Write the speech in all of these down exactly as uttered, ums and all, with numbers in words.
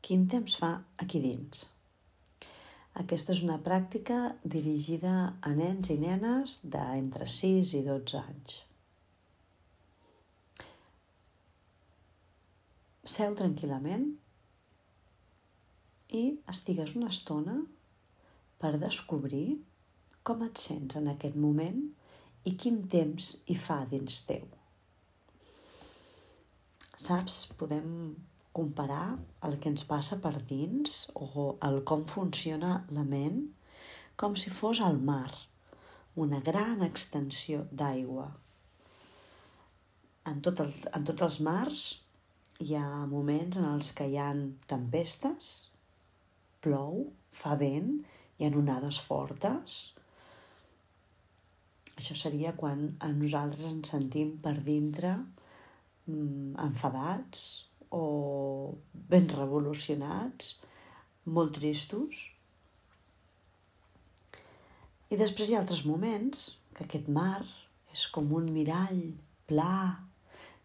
Quin temps fa aquí dins? Aquesta és una pràctica dirigida a nens i nenes d'entre sis i dotze anys. Seu tranquil·lament i estigues una estona per descobrir com et sents en aquest moment i quin temps hi fa dins teu. Saps, podem comparar el que ens passa per dins o el com funciona la ment com si fos el mar, una gran extensió d'aigua. En, tot el, en tots els mars hi ha moments en els que hi ha tempestes, plou, fa vent, hi ha onades fortes. Això seria quan a nosaltres ens sentim per dintre mm, enfadats o ben revolucionats, molt tristos. I després hi ha altres moments que aquest mar és com un mirall pla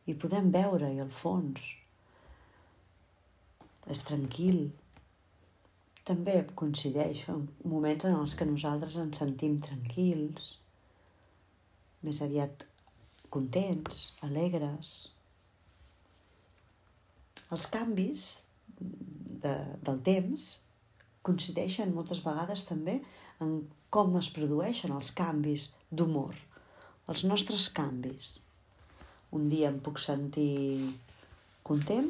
i podem veure-hi al fons. És tranquil. També coincideix en moments en els que nosaltres ens sentim tranquils, més aviat contents, alegres. Els canvis de, del temps coincideixen moltes vegades també en com es produeixen els canvis d'humor, els nostres canvis. Un dia em puc sentir content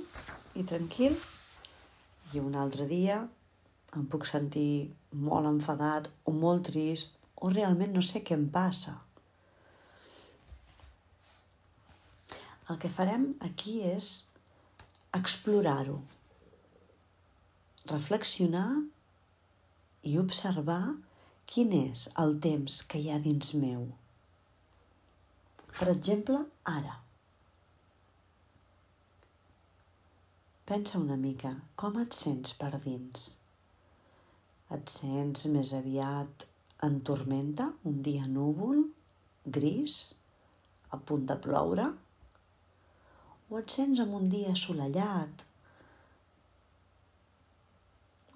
i tranquil i un altre dia em puc sentir molt enfadat o molt trist o realment no sé què em passa. El que farem aquí és explorar-ho, reflexionar i observar quin és el temps que hi ha dins meu. Per exemple, ara. Pensa una mica, com et sents per dins? Et sents més aviat en tormenta, un dia núvol, gris, a punt de ploure? O et sents en un dia assolellat,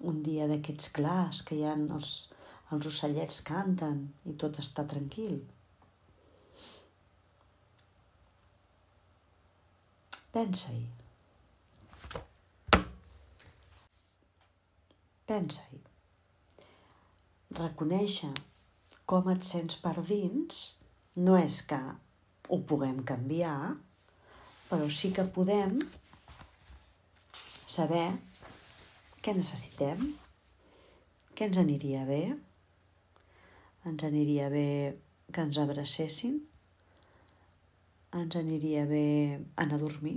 un dia d'aquests clars que hi ha els, els ocellets canten i tot està tranquil? Pensa-hi. Pensa-hi. Reconèixer com et sents per dins no és que ho puguem canviar, però sí que podem saber què necessitem, què ens aniria bé. Ens aniria bé que ens abracessin, ens aniria bé anar a dormir,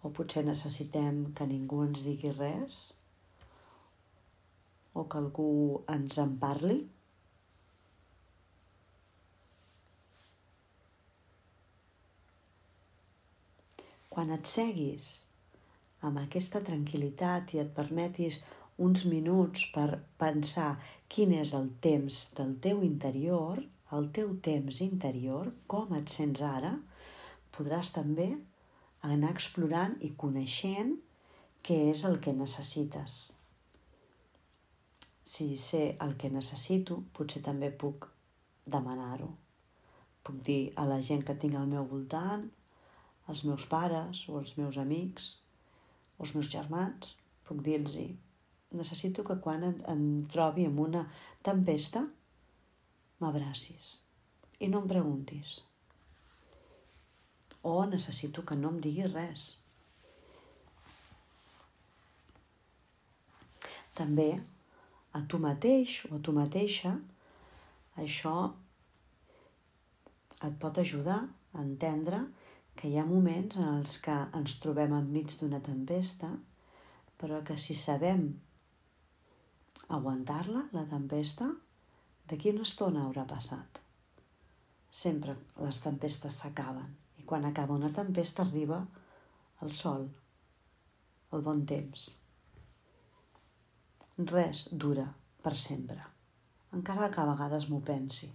o potser necessitem que ningú ens digui res, o que algú ens en parli. Quan et seguis amb aquesta tranquil·litat i et permetis uns minuts per pensar quin és el temps del teu interior, el teu temps interior, com et sents ara, podràs també anar explorant i coneixent què és el que necessites. Si sé el que necessito, potser també puc demanar-ho. Puc dir a la gent que tinc al meu voltant, als meus pares o als meus amics o als meus germans, puc dir-los necessito que quan em trobi en una tempesta m'abracis i no em preguntis. O necessito que no em diguis res. També a tu mateix o a tu mateixa això et pot ajudar a entendre que hi ha moments en els que ens trobem enmig d'una tempesta, però que si sabem aguantar-la, la tempesta, d'aquí una estona haurà passat. Sempre les tempestes s'acaben i quan acaba una tempesta arriba el sol, el bon temps. Res dura per sempre, encara que a vegades m'ho pensi.